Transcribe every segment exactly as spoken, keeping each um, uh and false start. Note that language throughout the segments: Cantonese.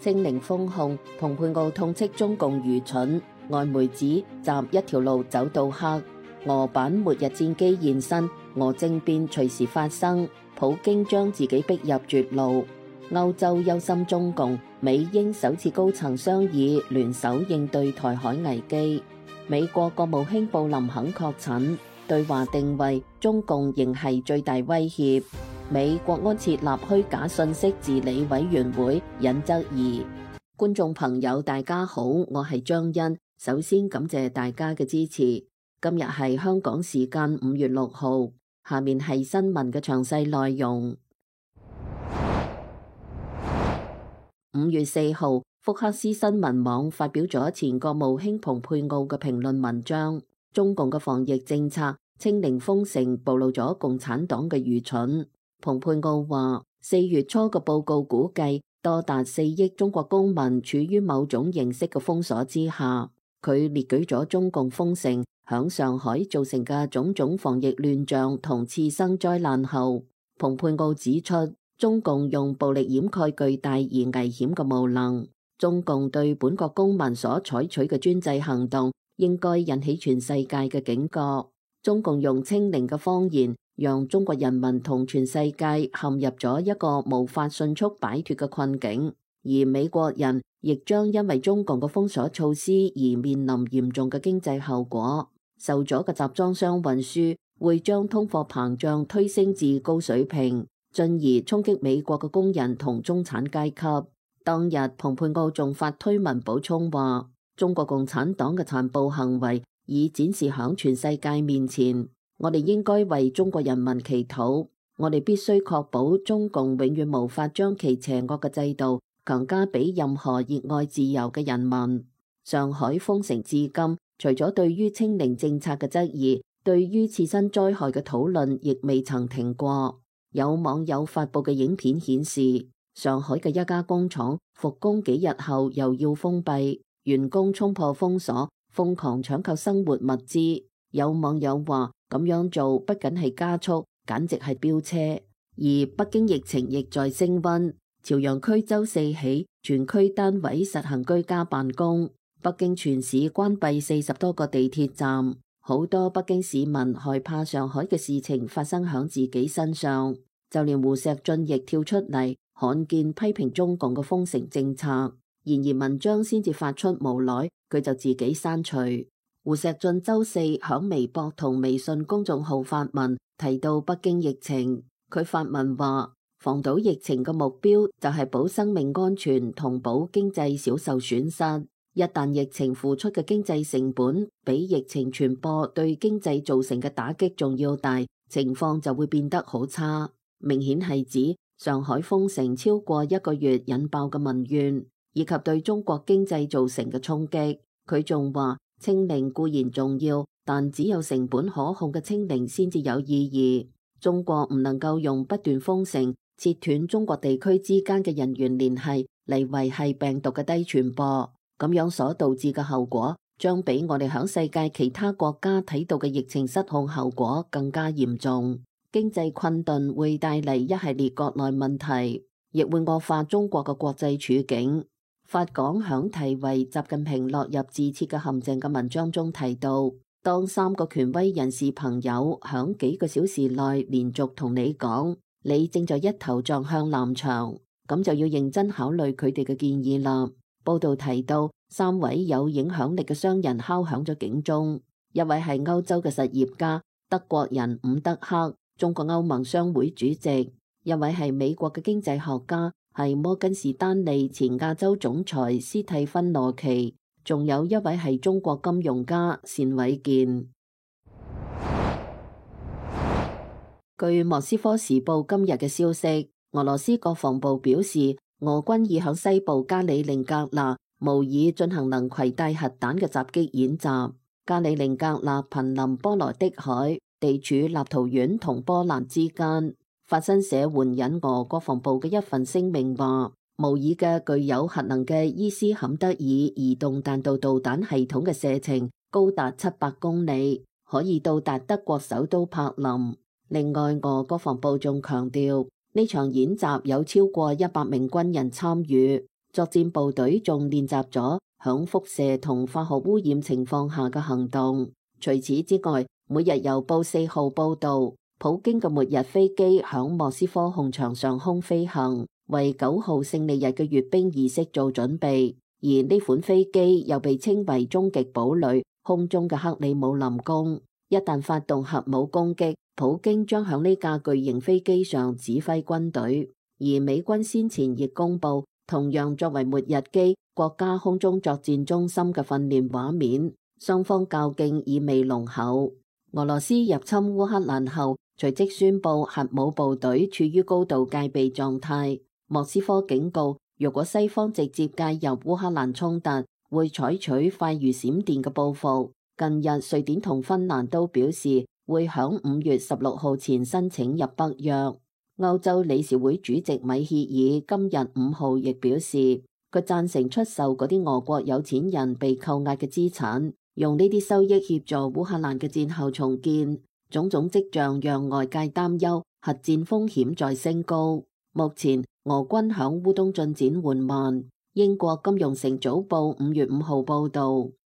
清零封控，蓬佩奧痛斥中共愚蠢，外媒指習一條路走到黑，俄版末日戰機現身，俄政變隨時發生，普京將自己逼入絕路。歐洲憂心中共，美英首次高層商議聯手應對台海危機。美國國務卿布林肯確診，對華定位中共仍係最大威脅。美國安設立虛假信息治理委員會，引質疑。觀眾朋友大家好，我係張欣，首先感謝大家嘅支持。今日係香港時間五月六號，下面係新聞嘅詳細內容。五月四號，福克斯新聞網發表咗前國務卿蓬佩奧嘅評論文章，中共嘅防疫政策清零封城暴露咗共產黨嘅愚蠢。蓬佩奧話，四月初嘅報告估計，多達四億中國公民處於某種形式嘅封鎖之下。佢列舉咗中共封城響上海造成嘅種種防疫亂象同次生災難後，蓬佩奧指出，中共用暴力掩蓋巨大而危險嘅無能。中共對本國公民所採取嘅專制行動，應該引起全世界嘅警覺。中共用清零嘅謊言，讓中國人民同全世界陷入咗一個無法迅速擺脫嘅困境，而美國人亦將因為中共嘅封鎖措施而面臨嚴重嘅經濟後果。受阻嘅集裝箱運輸會將通貨膨脹推升至高水平，進而衝擊美國嘅工人同中產階級。當日，蓬佩奧仲發推文補充話，中國共產黨嘅殘暴行為已展示響全世界面前。我哋應該為中國人民祈禱，我哋必須確保中共永遠無法將其邪惡嘅制度強加俾任何熱愛自由嘅人民。上海封城至今，除咗對於清零政策嘅質疑，對於次生災害嘅討論亦未曾停過。有網友發布嘅影片顯示，上海嘅一家工廠復工幾日後又要封閉，員工衝破封鎖，瘋狂搶購生活物資。有網友話，咁樣做不僅係加速，簡直係飆車。而北京疫情亦在升溫，朝陽區周四起全區單位實行居家辦公，北京全市關閉四十多個地鐵站。好多北京市民害怕上海嘅事情發生響自己身上，就連胡錫進亦跳出嚟罕見批評中共嘅封城政策。然而文章先至發出無耐，佢就自己刪除。胡錫進周四響微博同微信公眾號發文提到北京疫情，佢發文話，防堵疫情嘅目標就係保生命安全同保經濟少受損失。一旦疫情付出嘅經濟成本比疫情傳播對經濟造成嘅打擊仲要大，情況就會變得好差。明顯係指上海封城超過一個月引爆嘅民怨，以及對中國經濟造成嘅衝擊。佢仲話，清零固然重要，但只有成本可控嘅清零先至有意義。中國唔能夠用不斷封城，切斷中國地區之間嘅人員聯繫嚟維繫病毒嘅低傳播，咁樣所導致嘅後果，將比我哋響世界其他國家睇到嘅疫情失控後果更加嚴重。經濟困頓會帶嚟一系列國內問題，亦會惡化中國嘅國際處境。法港響題為習近平落入自設嘅陷阱嘅文章中提到，當三個權威人士朋友響幾個小時內連續同你講，你正在一頭撞向南牆，咁就要認真考慮佢哋嘅建議啦。報道提到，三位有影響力嘅商人敲響咗警鐘，一位係歐洲嘅實業家德國人伍德克，中國歐盟商會主席；一位係美國嘅經濟學家，係摩根士丹利前亞洲總裁斯蒂芬羅奇，仲有一位係中國金融家單偉健。據莫斯科時報今日嘅消息，俄羅斯國防部表示，俄軍已響西部加里寧格勒模擬進行能攜帶核彈嘅襲擊演習。加里寧格勒瀕臨波羅的海，地處立陶宛同波蘭之間。法新社援引俄國防部嘅一份聲明話，模擬嘅具有核能嘅伊斯坎德爾移動彈道導彈系統嘅射程高達七百公里，可以到達德國首都柏林。另外，俄國防部仲強調，呢場演習有超過一百名軍人參與，作戰部隊仲練習咗響輻射同化學污染情況下嘅行動。除此之外，每日郵報四號報道，普京嘅末日飛機響莫斯科紅場上空飛行，為九號勝利日嘅閱兵儀式做準備。而呢款飛機又被稱為終極堡壘，空中嘅克里姆林宮。一旦發動核武攻擊，普京將響呢架巨型飛機上指揮軍隊。而美軍先前亦公布，同樣作為末日機國家空中作戰中心嘅訓練畫面，雙方較勁意味濃厚。俄羅斯入侵烏克蘭後，隨即宣布核武部隊處於高度戒備狀態。莫斯科警告，若果西方直接介入烏克蘭衝突，會採取快如閃電嘅報復。近日，瑞典同芬蘭都表示會響五月十六號前申請入北約。歐洲理事會主席米歇爾今日五號亦表示，佢贊成出售嗰啲俄國有錢人被扣押嘅資產，用呢啲收益協助烏克蘭嘅戰後重建。種種跡象讓外界擔憂核戰風險在升高。目前俄軍響烏東進展緩慢。英國金融城早報五月五號報道，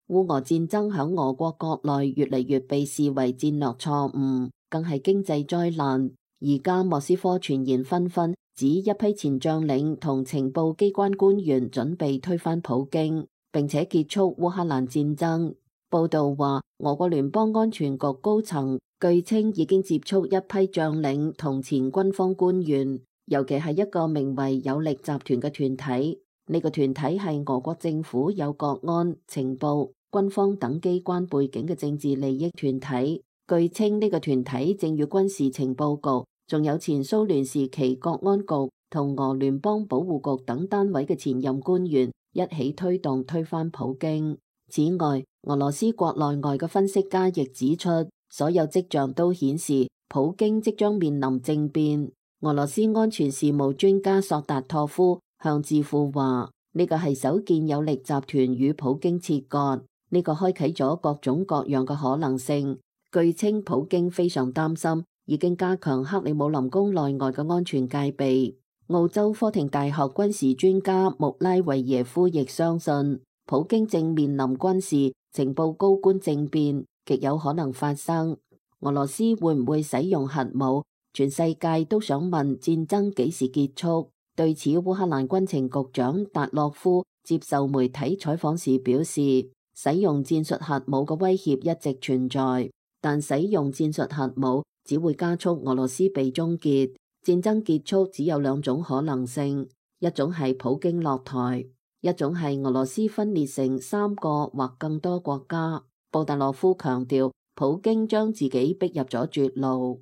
烏俄戰爭響俄國國內越嚟越被視為戰略錯誤，更係經濟災難。而家莫斯科傳言紛紛，指一批前將領同情報機關官員準備推翻普京，並且結束烏克蘭戰爭。報道話，俄國聯邦安全局高層據稱已經接觸一批將領同前軍方官員，尤其係一個名為有力集團嘅團體。呢個團體係俄國政府有國安、情報、軍方等機關背景嘅政治利益團體。據稱呢個團體正與軍事情報局，仲有前蘇聯時期國安局同俄聯邦保護局等單位嘅前任官員一起推動推翻普京。此外，俄羅斯國內外嘅分析家亦指出，所有跡象都顯示普京即將面臨政變。俄羅斯安全事務專家索達托夫向智庫話：呢個係首見有力集團與普京切割，呢個開啟咗各種各樣嘅可能性。據稱，普京非常擔心，已經加強克里姆林宮內外嘅安全戒備。澳洲科廷大學軍事專家穆拉維耶夫亦相信，普京正面臨軍事情報高官政變，極有可能發生。俄羅斯會唔會使用核武？全世界都想問戰爭幾時結束。對此，烏克蘭軍情局長達洛夫接受媒體採訪時表示，使用戰術核武嘅威脅一直存在。但使用戰術核武只會加速俄羅斯被終結。戰爭結束只有兩種可能性，一種係普京落台，一種係俄羅斯分裂成三個或更多國家。布達洛夫強調，普京將自己逼入咗絕路。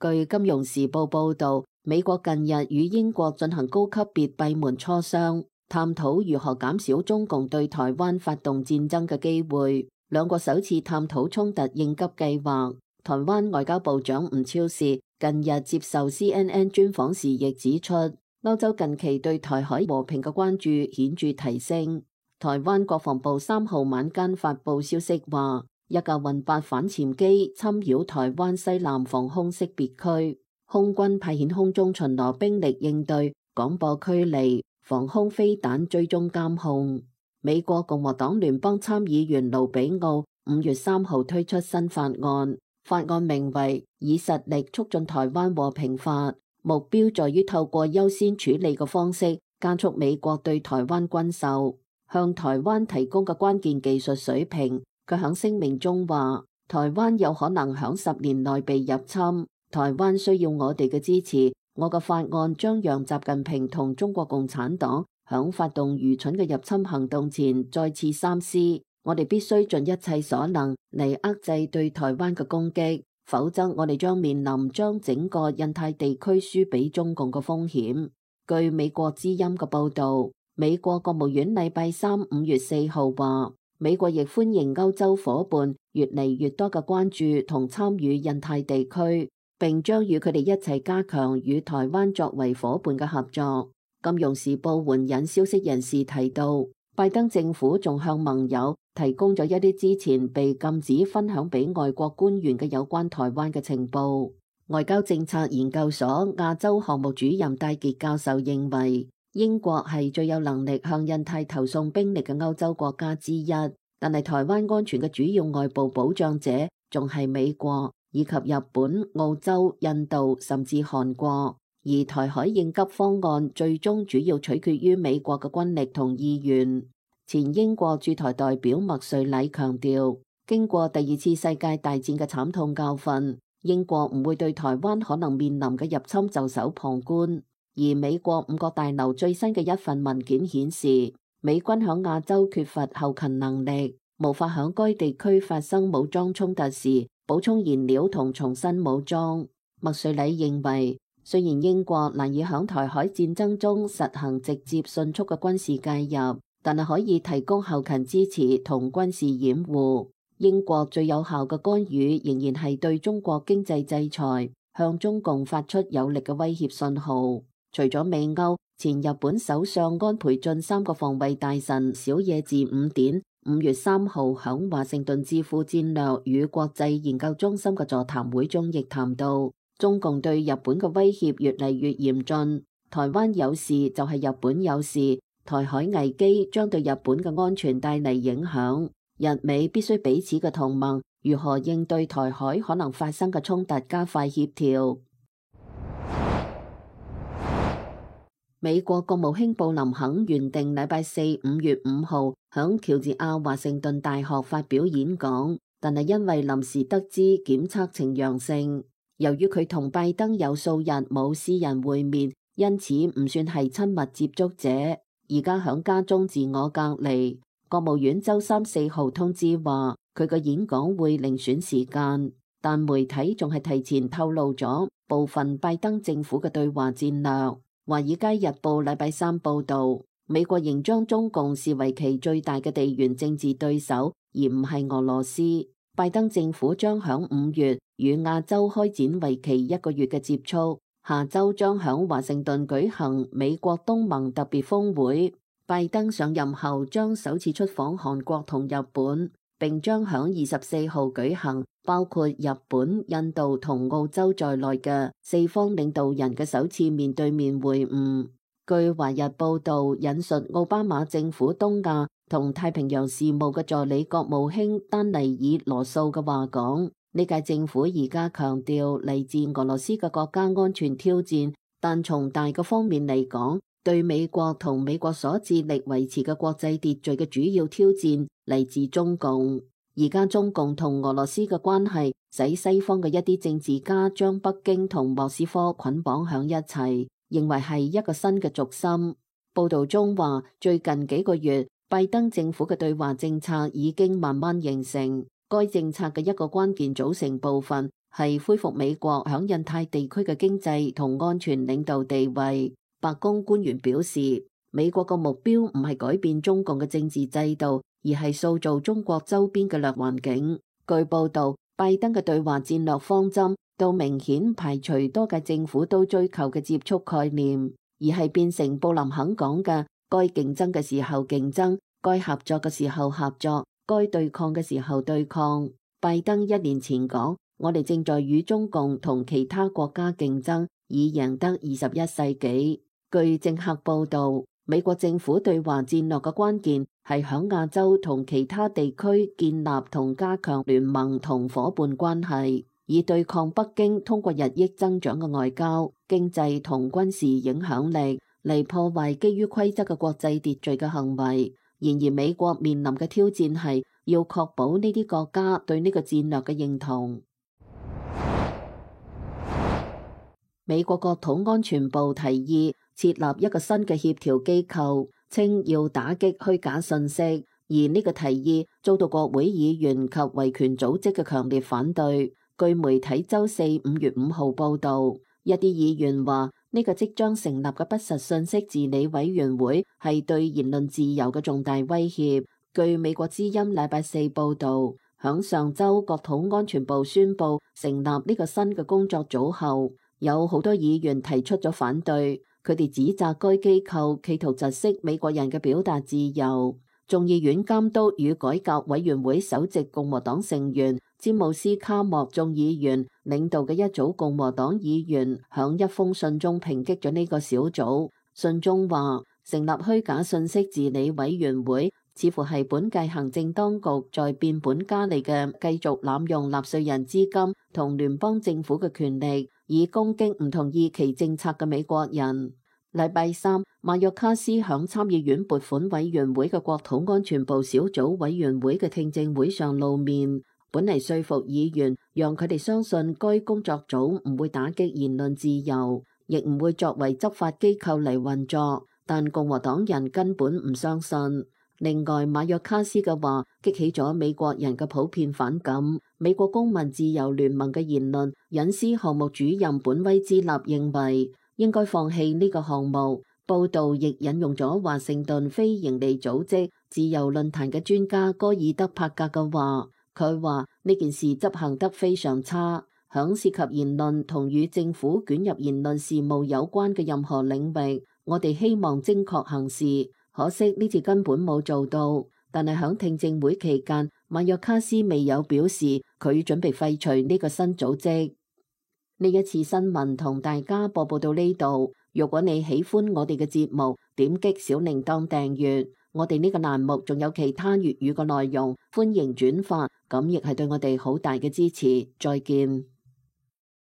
據《金融時報》報導，美國近日與英國進行高級別閉門磋商，探討如何減少中共對台灣發動戰爭嘅機會。兩國首次探討衝突應急計劃。台灣外交部長吳釗燮近日接受 C N N 專訪時亦指出，歐洲近期對台海和平嘅關注顯著提升。台灣國防部三號晚間發布消息話，一架運八反潛機侵擾台灣西南防空識別區，空軍派遣空中巡邏兵力應對，廣播驅離，防空飛彈追蹤監控。美國共和黨聯邦參議員盧比奧五月三號推出新法案，法案名為《以實力促進台灣和平法》，目標在於透過優先處理嘅方式，加速美國對台灣軍售，向台灣提供嘅關鍵技術水平。佢喺聲明中話，台灣有可能喺十年內被入侵，台灣需要我哋嘅支持。我嘅法案將讓習近平同中國共產黨響發動愚蠢嘅入侵行動前再次三思。我哋必須盡一切所能嚟遏制對台灣嘅攻擊，否則我哋將面臨將整個印太地區輸俾中共嘅風險。據美國之音嘅報道，美國國務院禮拜三五月四號話，美國亦歡迎歐洲夥伴越嚟越多嘅關注同參與印太地區，並將與佢哋一齊加強與台灣作為夥伴嘅合作。金融時報援引消息人士提到，拜登政府仲向盟友提供咗一啲之前被禁止分享俾外國官員嘅有關台灣嘅情報。外交政策研究所亞洲項目主任戴傑教授認為，英國係最有能力向印太投送兵力嘅歐洲國家之一，但係台灣安全嘅主要外部保障者仲係美國以及日本、澳洲、印度甚至韓國，而台海應急方案最終主要取決於美國嘅軍力同意願。前英國駐台代表麥瑞禮強調，經過第二次世界大戰嘅慘痛教訓，英國唔會對台灣可能面臨嘅入侵袖手旁觀。而美國五角大樓最新嘅一份文件顯示，美軍響亞洲缺乏後勤能力，無法響該地區發生武裝衝突時補充燃料同重新武裝。麥瑞禮認為，雖然英國難以響台海戰爭中實行直接迅速嘅軍事介入，但係可以提供後勤支持同軍事掩護。英國最有效嘅干預仍然係對中國經濟制裁，向中共發出有力嘅威脅信號。除咗美歐，前日本首相安倍晉三個防衛大臣小野寺五典五月三號響華盛頓智庫戰略與國際研究中心嘅座談會中，亦談到中共對日本嘅威脅越嚟越嚴峻，台灣有事就係日本有事，台海危機將對日本嘅安全帶嚟影響，日美必須彼此嘅同盟如何應對台海可能發生嘅衝突加快協調。美國國務卿布林肯原定禮拜四五月五號響喬治亞華盛頓大學發表演講，但係因為臨時得知檢測呈陽性，由於佢同拜登有數日冇私人會面，因此唔算係親密接觸者，而家響家中自我隔離。國務院周三四號通知話，佢個演講會另選時間，但媒體仲係提前透露咗部分拜登政府嘅對華戰略。華爾街日報禮拜三報道，美國仍將中共視為其最大嘅地緣政治對手，而唔係俄羅斯。拜登政府將響五月與亞洲開展為期一個月嘅接觸，下周將響華盛頓舉行美國東盟特別峰會。拜登上任後將首次出訪韓國同日本，並將響二十四號舉行包括日本、印度同澳洲在內嘅四方領導人嘅首次面對面會晤。據華日報道引述奧巴馬政府東亞同太平洋事務嘅助理國務卿丹尼爾羅素嘅話講，呢屆政府而家強調嚟自俄羅斯嘅國家安全挑戰，但從大嘅方面嚟講，對美國同美國所致力維持嘅國際秩序嘅主要挑戰嚟自中共。而家中共同俄羅斯嘅關係，使西方嘅一啲政治家將北京同莫斯科捆綁響一齊，認為係一個新嘅軸心。報道中話，最近幾個月，拜登政府嘅對華政策已經慢慢形成。該政策嘅一個關鍵組成部分係恢復美國響印太地區嘅經濟同安全領導地位。白宮官員表示，美國嘅目標唔係改變中共嘅政治制度，而係塑造中國周邊嘅劣環境。據報道，拜登嘅對華戰略方針都明顯排除多屆政府都追求嘅接觸概念，而係變成布林肯講嘅該競爭嘅時候競爭，該合作嘅時候合作，該對抗嘅時候對抗。拜登一年前講，我哋正在與中共同其他國家競爭，以贏得二十一世紀。據政客報道，美國政府對華戰略嘅關鍵係響亞洲同其他地區建立同加強聯盟同夥伴關係，以對抗北京通過日益增長嘅外交、經濟同軍事影響力嚟破壞基於規則嘅國際秩序嘅行為。然而，美國面臨嘅挑戰係要確保呢啲國家對呢個戰略嘅認同。美國國土安全部提議設立一個新嘅協調機構，稱要打擊虛假信息，而呢個提議遭到國會議員及維權組織嘅強烈反對。據媒體周四五月五號報道，一啲議員話呢個即將成立嘅不實信息治理委員會係對言論自由嘅重大威脅。據美國之音禮拜四報道，響上周國土安全部宣布成立呢個新嘅工作組後，有好多議員提出咗反對，佢哋指責該機構企圖窒息美國人嘅表達自由。眾議院監督與改革委員會首席共和黨成員詹姆斯卡莫眾議員領導嘅一組共和黨議員響一封信中抨擊咗呢個小組。信中話，成立虛假信息治理委員會似乎係本屆行政當局在變本加厲嘅繼續濫用納稅人資金同聯邦政府嘅權力，以攻擊唔同意其政策嘅美國人。禮拜三，馬約卡斯響參議院撥款委員會嘅國土安全部小組委員會嘅聽證會上露面，本嚟說服議員，讓佢哋相信該工作組唔會打擊言論自由，亦唔會作為執法機構嚟運作，但共和黨人根本唔相信。另外，馬約卡斯嘅話激起咗美國人嘅普遍反感。美國公民自由聯盟嘅言論隱私項目主任本威茲納認為應該放棄呢個項目。報道亦引用咗華盛頓非營利組織自由論壇嘅專家戈爾德帕格嘅話，佢話呢件事執行得非常差，響涉及言論同與政府捲入言論事務有關嘅任何領域，我哋希望精確行事。可惜呢次根本冇做到，但係響聽證會期間，馬約卡斯未有表示佢準備廢除呢個新組織。呢一次新聞同大家播報到呢度。如果你喜歡我哋嘅節目，點擊小鈴鐺訂閱。我哋呢個欄目仲有其他粵語嘅內容，歡迎轉發，咁亦係對我哋好大嘅支持。再見。